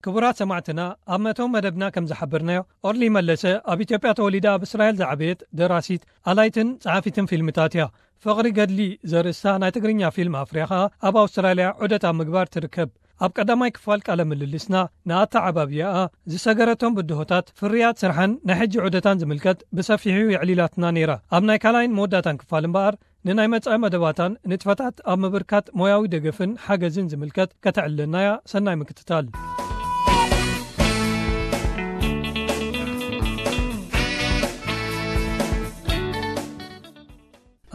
ክቡራት ሰማዕትና፣ ኣብ መእተዊ መደብና ከም ዝሓበርናዮ፣ ኦርሊ መለሰ ኣብ ኢትዮጵያ ተወሊዳ ኣብ እስራኤል ዝዓበየት ደራሲት፣ ኣላይትን ጸሓፊትን ፊልምታት እያ። ፍቕሪ ገድሊ ዘርእስታ ናይ ትግርኛ ፊልም ኣፍርያ ኸኣ ኣብ ኣውስትራልያ ዑደት ኣብ ምግባር ትርከብ። ኣብ ቀዳማይ ክፋል ቃለ ምልልስና ንኣተዓባብያኣ፣ ዝሰገረቶም ብድሆታት፣ ፍርያት ስርሓን ናይ ሕጂ ዑደታን ዝምልከት ብሰፊሑ የዕሊላትና ነይራ። ኣብ ናይ ካልኣይን መወዳእታን ክፋል እምበኣር ንናይ መጻኢ መደባታን ንጥፈታት ኣብ ምብርካት ሞያዊ ደገፍን ሓገዝን ዝምልከት ከተዕልለናያ። ሰናይ ምክትታል።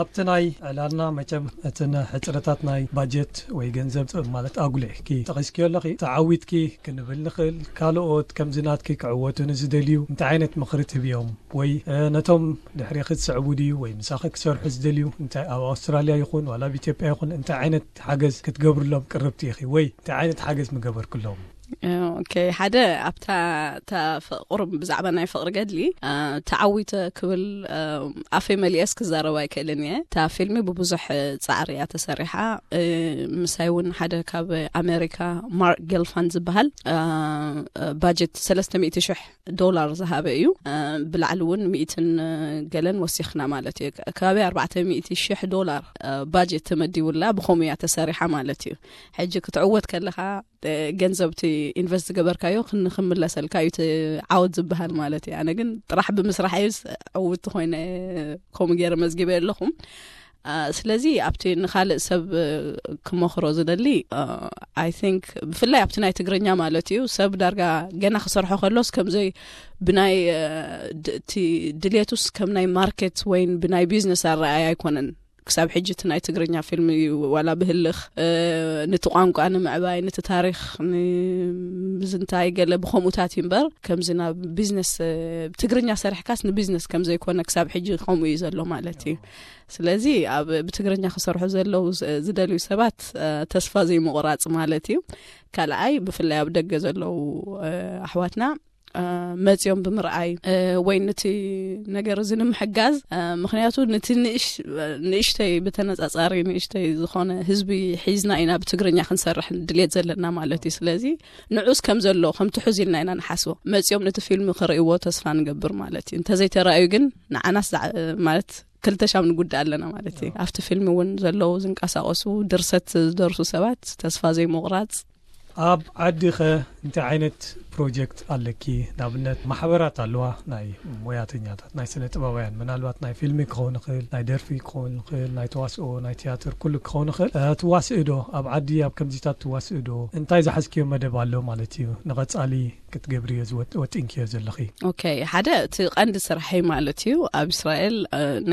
ኣብቲ ናይ ዕላልና መቸም እትን ሕጽረታት ናይ ባጀት ወይ ገንዘብ ማለት ኣጉሊሕኪ ጠቒስኪዮ ኣለኺ። ተዓዊትኪ ክንብል ንኽእል። ካልኦት ከምዚ ናትኪ ክዕወቱ ንዝደልዩ እንታይ ዓይነት ምኽሪ ትህብዮም? ወይ ነቶም ድሕሪኺ ዝስዕቡ ድዩ ወይ ምሳኺ ክሰርሑ ዝደልዩ እንታይ ኣብ ኣውስትራልያ ይኹን ዋላ ኣብ ኢትዮጵያ ይኹን እንታይ ዓይነት ሓገዝ ክትገብርሎም ቅርብቲ ኢኺ ወይ እንታይ ዓይነት ሓገዝ ምገበርክሎም? ኦኬ፣ ሓደ ኣብታ ፍቕሪ፣ ብዛዕባ ናይ ፍቕሪ ገድሊ ተዓዊተ ክብል ኣፈይ መሊኤስ ክዛረብ ኣይክእልን እየ። እታ ፊልሚ ብብዙሕ ጻዕሪ እያ ተሰሪሓ። ምሳይ እውን ሓደ ካብ ኣሜሪካ ማርክ ጌልፋን ዝበሃል ባጀት ሰለስተ ሚእቲ ሽሕ ዶላር ዝሃበ እዩ። ብላዕሊ እውን ሚእትን ገለን ወሲኽና ማለት እዩ። ከባቢ ኣርባዕተ ሚእቲ ሽሕ ዶላር ባጀት ተመዲቡላ፣ ብኸምኡ እያ ተሰሪሓ ማለት እዩ። ሕጂ ክትዕወት ከለኻ ገንዘብቲ ኢንቨስት ዝገበርካዮ ክምለሰልካ እዩ ዓወት ዝበሃል ማለት እዩ። ኣነ ግን ጥራሕ ብምስራሕ እዩ ዕውቲ ኮይነ ከምኡ ገይረ መዝጊበ ኣለኹም። ስለዚ ኣብቲ ንኻልእ ሰብ ክመኽሮ ዝደሊ፣ ኣይ ቲንክ ብፍላይ ኣብቲ ናይ ትግርኛ ማለት እዩ፣ ሰብ ዳርጋ ገና ክሰርሖ ከሎስ ከምዘይ ብናይ እቲ ድሌቱስ ከም ናይ ማርኬት ወይን ብናይ ቢዝነስ ኣረኣያ ኣይኮነን። ክሳብ ሕጂ እቲ ናይ ትግርኛ ፊልም እዩ ዋላ ብህልኽ ነቲ ቋንቋ ንምዕባይ፣ ነቲ ታሪኽ ንምዝንታይ ገለ ብኸምኡታት እዩ እምበር፣ ከምዚ ናብ ቢዝነስ ብትግርኛ ሰሪሕካስ ንቢዝነስ ከም ዘይኮነ ክሳብ ሕጂ ከምኡ እዩ ዘሎ ማለት እዩ። ስለዚ ኣብ ብትግርኛ ክሰርሑ ዘለዉ ዝደልዩ ሰባት ተስፋ ዘይምቑራፅ ማለት እዩ። ካልኣይ ብፍላይ ኣብ ደገ ዘለዉ ኣሕዋትና መፅዮም ብምርኣይ ወይ ነቲ ነገር እዚ ንምሕጋዝ፣ ምክንያቱ ነቲ ንእሽተይ ብተነፃፃሪ ንእሽተይ ዝኾነ ህዝቢ ሒዝና ኢና ብትግርኛ ክንሰርሕ ድሌት ዘለና ማለት እዩ። ስለዚ ንዑስ ከም ዘሎ ከም ትሑዝ ኢልና ኢና ንሓስቦ። መፅዮም ነቲ ፊልም ክርእይዎ ተስፋ ንገብር ማለት እዩ። እንተዘይተራእዩ ግን ንዓናስ ማለት ክልተ ሻም ንጉዳእ ኣለና ማለት እዩ። ኣብቲ ፊልም እውን ዘለዉ ዝንቀሳቀሱ ድርሰት ዝደርሱ ሰባት ተስፋ ዘይምቑራፅ። ኣብ ዓዲ ኸ እንታይ ዓይነት ፕሮጀክት ኣለኪ? ንኣብነት ማሕበራት ኣለዋ፣ ናይ ሞያተኛታት፣ ናይ ስነ ጥበባውያን፣ ምናልባት ናይ ፊልሚ ክኸውን ይኽእል፣ ናይ ደርፊ ክኸውን ይኽእል፣ ናይ ተዋስኦ፣ ናይ ትያትር፣ ኩሉ ክኸውን ይኽእል። ትዋስእ ዶ ኣብ ዓዲ ኣብ ከምዚታት ትዋስእ ዶ? እንታይ ዝሓዝክዮ መደብ ኣሎ ማለት እዩ ንቐጻሊ ክትገብርዮ ወጢንክዮ ዘለኺ? ኦኬ፣ ሓደ እቲ ቀንዲ ስራሐይ ማለት እዩ ኣብ እስራኤል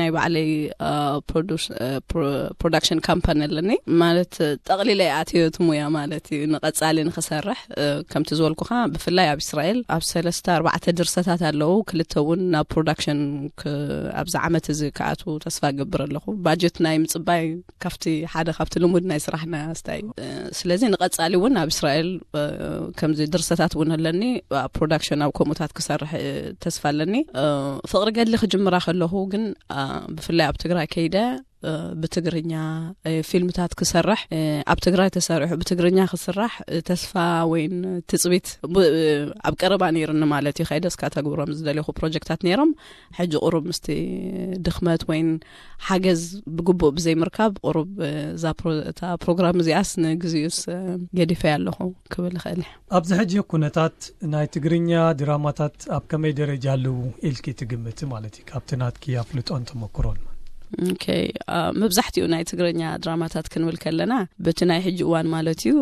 ናይ ባዕለይ ፕሮዳክሽን ካምፓኒ ኣለኒ። ማለት ጠቕሊለ ኣትዮ እቲ ሙያ ማለት እዩ ንቐጻሊ ንክሰርሕ። ከምቲ ዝበልኩኻ ብፍላይ ኣብ እስራኤል ኣብ ሰለስተ ኣርባዕተ ድርሰታት ኣለዉ፣ ክልተ እውን ናብ ፕሮዳክሽን ኣብዚ ዓመት እዚ ክኣትዉ ተስፋ ገብር ኣለኹ። ባጀት ናይ ምጽባይ ካብቲ ሓደ ካብቲ ልሙድ ናይ ስራሕና ስታይ እዩ። ስለዚ ንቐጻሊ እውን ኣብ እስራኤል ከምዚ ድርሰታት እውን ኣለኒ። ኣብ ፕሮዳክሽን ኣብ ከምኡታት ክሰርሕ ተስፋ ኣለኒ። ፍቕሪ ገድሊ ክጅምራ ከለኹ ግን ብፍላይ ኣብ ትግራይ ከይደ ብትግርኛ ፊልምታት ክሰርሕ፣ ኣብ ትግራይ ተሰሪሑ ብትግርኛ ክስራሕ ተስፋ ወይን ትጽቢት ኣብ ቀረባ ነይርኒ ማለት እዩ። ከይደስ ካተግብሮም ዝደለኹ ፕሮጀክታት ነይሮም። ሕጂ ቁሩብ ምስቲ ድኽመት ወይን ሓገዝ ብግቡእ ብዘይምርካብ ቁሩብ እዛ እታ ፕሮግራም እዚኣስ ንግዚኡስ ገዲፈያ ኣለኹ ክብል ይኽእል። ኣብዚ ሕጂ ኩነታት ናይ ትግርኛ ድራማታት ኣብ ከመይ ደረጃ ኣለዉ ኢልኪ ትግምቲ ማለት እዩ? ካብቲ ናትኪ ኣፍልጦን ተመክሮን። ኦኬ፣ መብዛሕትኡ ናይ ትግርኛ ድራማታት ክንብል ከለና በቲ ናይ ሕጂ እዋን ማለት እዩ፣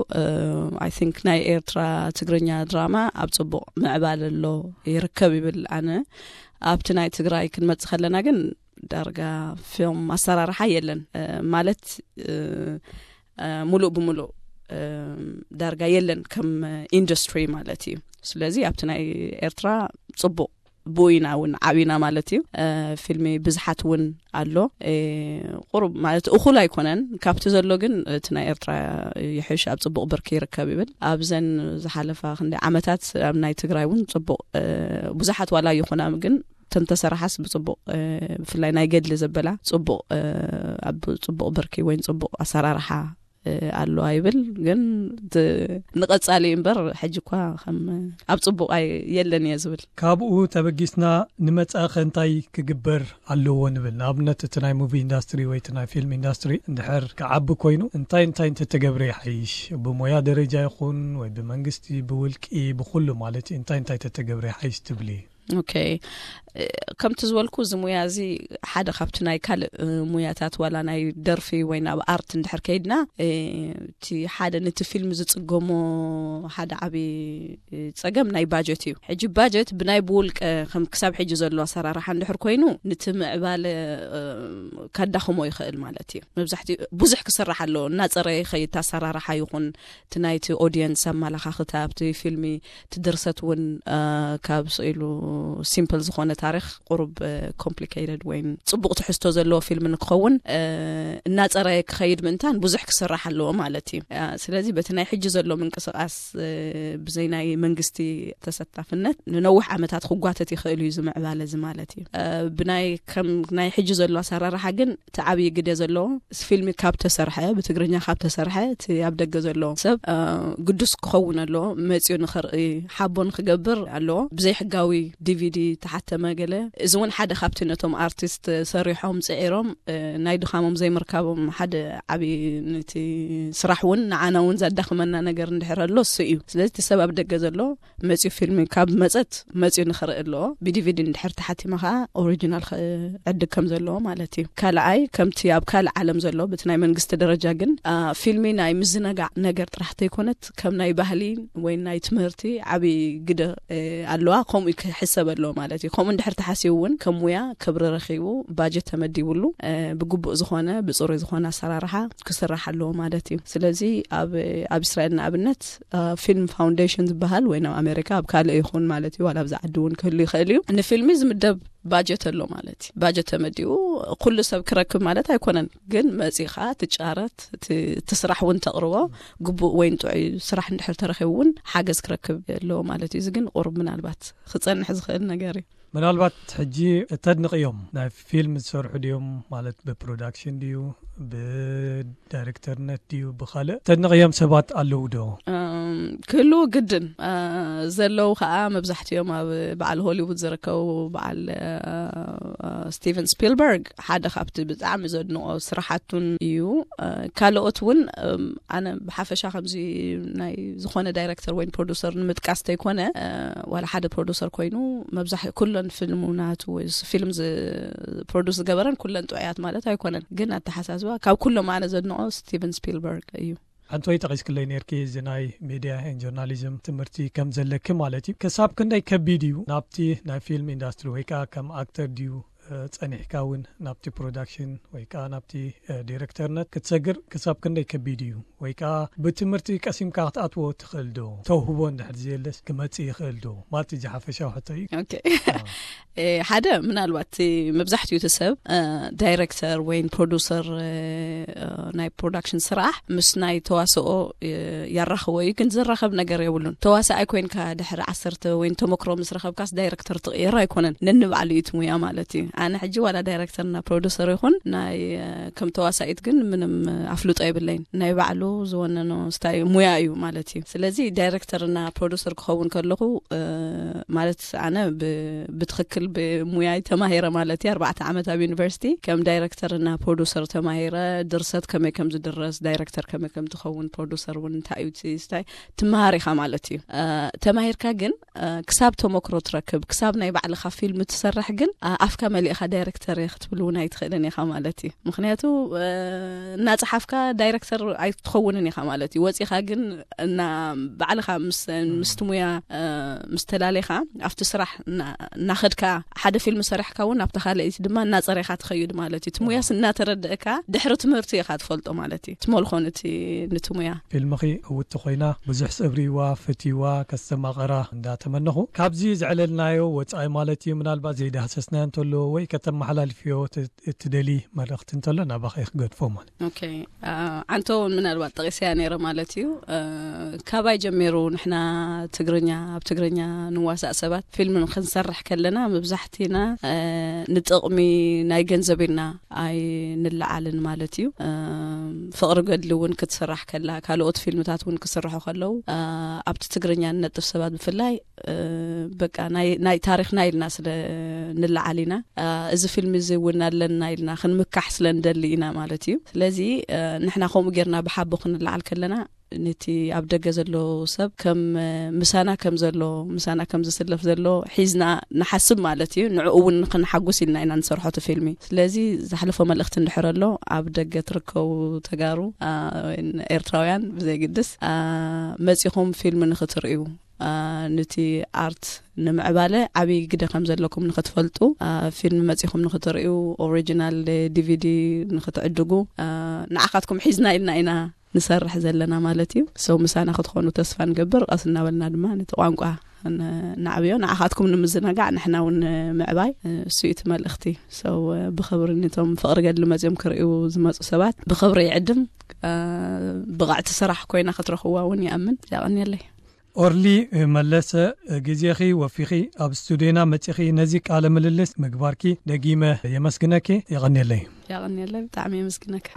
ኣይ ቲንክ ናይ ኤርትራ ትግርኛ ድራማ ኣብ ጽቡቕ ምዕባለ ኣሎ ይርከብ ይብል ኣነ። ኣብቲ ናይ ትግራይ ክንመጽእ ከለና ግን ዳርጋ ፊልም ኣሰራርሓ የለን ማለት ሙሉእ ብሙሉእ ዳርጋ የለን ከም ኢንዱስትሪ ማለት እዩ። ስለዚ ኣብቲ ናይ ኤርትራ ጽቡቕ ብኡ ኢና እውን ዓብና ማለት እዩ። ፊልሚ ብዝሓት እውን ኣሎ። ቁሩብ ማለት እኹል ኣይኮነን ካብቲ ዘሎ፣ ግን እቲ ናይ ኤርትራ ይሕሽ ኣብ ጽቡቕ ብርኪ ይርከብ ይብል። ኣብዘን ዝሓለፋ ክንደይ ዓመታት ኣብ ናይ ትግራይ እውን ጽቡቕ ብዙሓት ዋላ ይኹና ግን ተንተሰራሓስ ብጽቡቕ ብፍላይ ናይ ገድሊ ዘበላ ጽቡቕ ኣብ ጽቡቕ ብርኪ ወይን ጽቡቕ ኣሰራርሓ ኣሎ ኣይብል፣ ግን ንቐጻሊ እምበር ሕጂ እኳ ከም ኣብ ጽቡቕ የለን እየ ዝብል። ካብኡ ተበጊስና ንመጻእኸ እንታይ ክግበር ኣለዎ ንብል? ንኣብነት እቲ ናይ ሙቪ ኢንዳስትሪ ወይ እቲ ናይ ፊልም ኢንዳስትሪ እንድሕር ክዓቢ ኮይኑ እንታይ እንታይ እንተተገብረ ይሓይሽ? ብሞያ ደረጃ ይኹን ወይ ብመንግስቲ፣ ብውልቂ፣ ብኩሉ ማለት እዩ፣ እንታይ እንታይ ተተገብረ ይሓይሽ ትብሊ? ኦኬ፣ ከምቲ ዝበልኩ እዚ ሙያ እዚ ሓደ ካብቲ ናይ ካልእ ሙያታት ዋላ ናይ ደርፊ ወይ ናብ ኣርት እንድሕር ከይድና፣ እቲ ሓደ ነቲ ፊልም ዝጽገሞ ሓደ ዓቢ ጸገም ናይ ባጀት እዩ። ሕጂ ባጀት ብናይ ብውልቀ ከም ክሳብ ሕጂ ዘሎ ኣሰራርሓ እንድሕር ኮይኑ ነቲ ምዕባለ ካዳኽሞ ይኽእል ማለት እዩ። መብዛሕትኡ ብዙሕ ክስራሕ ኣለዎ፣ እናጸረየ ይኸይድ፣ ኣሰራርሓ ይኹን እቲ ናይቲ ኦዲየንስ ኣመላኻኽታ ኣብቲ ፊልሚ፣ እቲ ድርሰት እውን ካብ ስኢሉ ሲምፕል ዝኾነ ታሪኽ ቁሩብ ኮምፕሊኬትድ ወይ ጽቡቕ ትሕዝቶ ዘለዎ ፊልም ንክኸውን እናጸረየ ክኸይድ ምእንታን ብዙሕ ክስራሕ ኣለዎ ማለት እዩ። ስለዚ በቲ ናይ ሕጂ ዘሎ ምንቅስቃስ ብዘይ ናይ መንግስቲ ተሳታፍነት ንነዊሕ ዓመታት ክጓተት ይኽእል እዩ ዝምዕባለ እዚ ማለት እዩ። ብናይ ከም ናይ ሕጂ ዘሎ ኣሰራርሓ ግን እቲ ዓብዪ ግደ ዘለዎ ፊልሚ ካብ ተሰርሐ፣ ብትግርኛ ካብ ተሰርሐ እቲ ኣብ ደገ ዘሎ ሰብ ግዱስ ክኸውን ኣለዎ፣ መፅዩ ንኽርኢ፣ ሓቦ ንክገብር ኣለዎ። ብዘይ ሕጋዊ ዲቪዲ ተሓተመ ገለ፣ እዚ እውን ሓደ ካብቲ ነቶም ኣርቲስት ሰሪሖም ፅዒሮም ናይ ድኻሞም ዘይምርካቦም ሓደ ዓብዪ ነቲ ስራሕ እውን ንዓና እውን ዘዳኽመና ነገር እንድሕር ኣሎ እሱ እዩ። ስለዚ እቲ ሰብ ኣብ ደገ ዘሎ መፅዩ ፊልሚ ካብ መፀት መፅዩ ንኽርኢ ኣለዎ። ብዲቪዲ እንድሕር ተሓቲመ ከዓ ኦሪጂናል ክዕድግ ከም ዘለዎ ማለት እዩ። ካልኣይ ከምቲ ኣብ ካልእ ዓለም ዘሎ በቲ ናይ መንግስቲ ደረጃ ግን ፊልሚ ናይ ምዝነጋዕ ነገር ጥራሕ ተይኮነት ከም ናይ ባህሊ ወይ ናይ ትምህርቲ ዓብዪ ግደ ኣለዋ። ከምኡ ክሕሰብ ኣለዎ ማለት እዩ። ከምኡ እንድሕር ተሓሲቡ እውን ከም ሙያ ክብሪ ረኺቡ ባጀት ተመዲብሉ ብግቡእ ዝኾነ ብፅሩይ ዝኾነ ኣሰራርሓ ክስራሕ ኣለዎ ማለት እዩ። ስለዚ ኣብ እስራኤል ንኣብነት ፊልም ፋውንዴሽን ዝበሃል ወይ ናብ ኣሜሪካ ኣብ ካልእ ይኹን ማለት እዩ፣ ዋላ ኣብዚ ዓዲ እውን ክህሉ ይኽእል እዩ፣ ንፊልሚ ዝምደብ ባጀት ኣሎ ማለት እዩ። ባጀት ተመዲቡ ኩሉ ሰብ ክረክብ ማለት ኣይኮነን፣ ግን መፂኻ ትጫረት እቲ ስራሕ እውን ተቕርቦ ግቡእ ወይ ጥዑይ ስራሕ እንድሕር ተረኺቡ እውን ሓገዝ ክረክብ ኣለዎ ማለት እዩ። እዚ ግን ቁሩብ ምናልባት ክፀንሕ ዝኽእል ነገር እዩ። ምናልባት ሕጂ ተድንቕዮም ናይ ፊልም ዝሰርሑ ድዮም ማለት ብፕሮዳክሽን ድዩ ብዳይሬክተርነት ድዩ ብኻልእ ተድንቕዮም ሰባት ኣለዉ ዶ? ክህልዉ ግድን ዘለዉ ከዓ መብዛሕትኦም ኣብ በዓል ሆሊውድ ዝርከቡ በዓል ስቲቨን ስፒልበርግ ሓደ ካብቲ ብጣዕሚ ዘድንቆ ስራሓቱን እዩ። ካልኦት እውን ኣነ ብሓፈሻ ከምዚ ናይ ዝኾነ ዳይሬክተር ወይ ፕሮዲሰር ንምጥቃስ ተይኮነ ዋላ ሓደ ፕሮዲሰር ኮይኑ መብዛሕ ኩለን ፊልሙ ናቱ ወይ ፊልም ፕሮዲስ ዝገበረን ኩለን ጥዑያት ማለት ኣይኮነን፣ ግን ኣተሓሳስባ ካብ ኩሎም ኣነ ዘድንቆ ስቲቨን ስፒልበርግ እዩ። ሓንቲ ወይ ጠቂስክለይ ነርኪ እዚ ናይ ሚድያ ን ጆርናሊዝም ትምህርቲ ከም ዘለኪ ማለት እዩ። ክሳብ ክንደይ ከቢድ እዩ ናብቲ ናይ ፊልም ኢንዳስትሪ ወይ ከዓ ከም ኣክተር ድዩ ጸኒሕካ እውን ናብቲ ፕሮዳክሽን ወይ ከዓ ናብቲ ዲሬክተርነት ክትሰግር ክሳብ ክንደይ ከቢድ እዩ? ወይ ከዓ ብትምህርቲ ቀሲምካ ክትኣትዎ ትኽእል ዶ? ተውህቦ እንድሕር ዘየለስ ክመጽእ ይኽእል ዶ? ማለት እዚ ሓፈሻዊ ሕቶ እዩ። ኦኬ። ሓደ ምናልባት መብዛሕትኡ እቲ ሰብ ዳይሬክተር ወይ ፕሮዲሰር ናይ ፕሮዳክሽን ስራሕ ምስ ናይ ተዋስኦ ያራኽቦ እዩ፣ ግን ዝራኸብ ነገር የብሉን። ተዋሳኣይ ኮይንካ ድሕሪ ዓሰርተ ወይ ተመክሮ ምስ ረኸብካስ ዳይሬክተር ትቕየር ኣይኮነን፣ ነንባዕሉ እዩ እቲ ሙያ ማለት እዩ። ኣነ ሕጂ ዋላ ዳይሬክተርና ፕሮዲሰር ይኹን ናይ ከም ተዋሳኢት ግን ምንም ኣፍልጦ የብለይን። ናይ ባዕሉ ዝወነኖ ስታይ ሙያ እዩ ማለት እዩ። ስለዚ ዳይሬክተርና ፕሮዲሰር ክኸውን ከለኹ ማለት ኣነ ብትኽክል ብሙያይ ተማሂረ ማለት እዩ። ኣርባዕተ ዓመት ኣብ ዩኒቨርሲቲ ከም ዳይሬክተርና ፕሮዲሰር ተማሂረ፣ ድርሰት ከመይ ከም ዝድረስ፣ ዳይሬክተር ከመይ ከም ትኸውን፣ ፕሮዲሰር እውን እንታይ እዩ ስታይ ትመሃር ኢኻ ማለት እዩ። ተማሂርካ ግን ክሳብ ተመክሮ ትረክብ፣ ክሳብ ናይ ባዕልኻ ፊልም ትሰርሕ ግን ኣፍካ መሊእኻ ዳይሬክተር ክትብል እውን ኣይትኽእልን ኢኻ ማለት እዩ። ምክንያቱ እናፀሓፍካ ዳይሬክተር ኣይትኸውንን ኢኻ ማለት እዩ። ወፂኻ ግን እና ባዕልኻ ምስ ምስቲ ሙያ ምስ ተላለኻ ኣብቲ ስራሕ እናኸድካ ሓደ ፊልም ሰሪሕካ እውን ኣብቲ ካልኣይቲ ድማ እናፀረኻ ትኸይድ ማለት እዩ። እቲ ሙያስ እናተረድእካ ድሕሪ ትምህርቲ ኢኻ ትፈልጦ ማለት እዩ። ትመልኾ ነቲ ነቲ ሙያ። ፊልምኺ ዕውቲ ኮይና ብዙሕ ሰብ ርእይዋ ፈትይዋ ከስተማቐራ እንዳተመነኹ፣ ካብዚ ዘዕለልናዮ ወፃኢ ማለት እዩ ምናልባት ዘይዳህሰስናዮ እንተሎ ከተመሓላልፍዮ ት- እትደሊ መልእኽቲ እንተሎ ናባኸ ክገድፎ ማለት። ኦኬ። አ፣ ዓንቶ እውን ምናልባት ጠቂሰያ ነይረ ማለት እዩ። አ፣ ካባይ ጀሚሩ ንሕና ትግርኛ፣ ኣብ ትግርኛ ንዋሳእ ሰባት ፊልም ክንሰርሕ ከለና መብዛሕቲና፣ አ፣ ንጥቕሚ ናይ ገንዘብ ኢልና ኣይንለዓልን ማለት እዩ። አ፣ ፍቕሪ ገድሊ እውን ክትስራሕ ከላ፣ ካልኦት ፊልምታት እውን ክስርሑ ከለዉ፣ አ፣ ኣብቲ ትግርኛ ንነጥፍ ሰባት ብፍላይ፣ አ፣ በቃ ናይ ናይ ታሪኽና ኢልና ስለ ንለዓል ኢና። አ፣ እዚ ፊልም እዚ እውን ኣለና ኢልና ክንምካሕ ስለ ንደሊ ኢና ማለት እዩ። ስለዚ፣ አ፣ ንሕና ከምኡ ጌርና ብሓቦ ክንለዓል ከለና፣ ነቲ ኣብ ደገ ዘሎ ሰብ ከም፣ አ፣ ምሳና ከም ዘሎ፣ ምሳና ከም ዝስለፍ ዘሎ ሒዝና ንሓስብ ማለት እዩ። ንዕኡ እውን ንክንሓጉስ ኢልና ኢና ንሰርሖ እቲ ፊልሚ። ስለዚ ዝሓለፎ መልእኽቲ እንድሕር ኣሎ፣ ኣብ ደገ ትርከቡ ተጋሩ፣ አ፣ ኤርትራውያን ብዘይግድስ፣ አ፣ መጺኹም ፊልም ንክትርእዩ፣ አ፣ ነቲ ኣርት ንምዕባለ ዓብዪ ግደ ከም ዘለኩም ንክትፈልጡ፣ አ፣ ፊልም መጺኹም ንክትርእዩ፣ ኦሪጂናል ዲቪዲ ንክትዕድጉ፣ አ፣ ንዓኻትኩም ሒዝና ኢልና ኢና ንሰርሕ ዘለና ማለት እዩ። ሰው ምሳና ክትኾኑ ተስፋ ንገብር። ቀስ እናበልና ድማ ነቲ ቋንቋ ን- ናዕብዮ፣ ንዓኻትኩም ንምዝነጋዕ ንሕና እውን ምዕባይ፣ እ፣ እሱ እዩ እቲ መልእኽቲ። ሰው፣ እ፣ ብኽብሪ ነቶም ፍቕሪ ገድሊ መፅዮም ክርእዩ ዝመፁ ሰባት ብኽብሪ ይዕድም። እ፣ ብቕዕቲ ስራሕ ኮይና ክትረኽዋ እውን ይኣምን። ያቐንየለይ። ኦርሊ መለሰ፣ ግዜኺ ወፊኺ ኣብ ስቱዲዮና መጺኺ ነዚ ቃለ ምልልስ ምግባርኪ ደጊመ የመስግነኪ። የቐንየለይ። ያቐንየለይ፣ ብጣዕሚ የመስግነካ።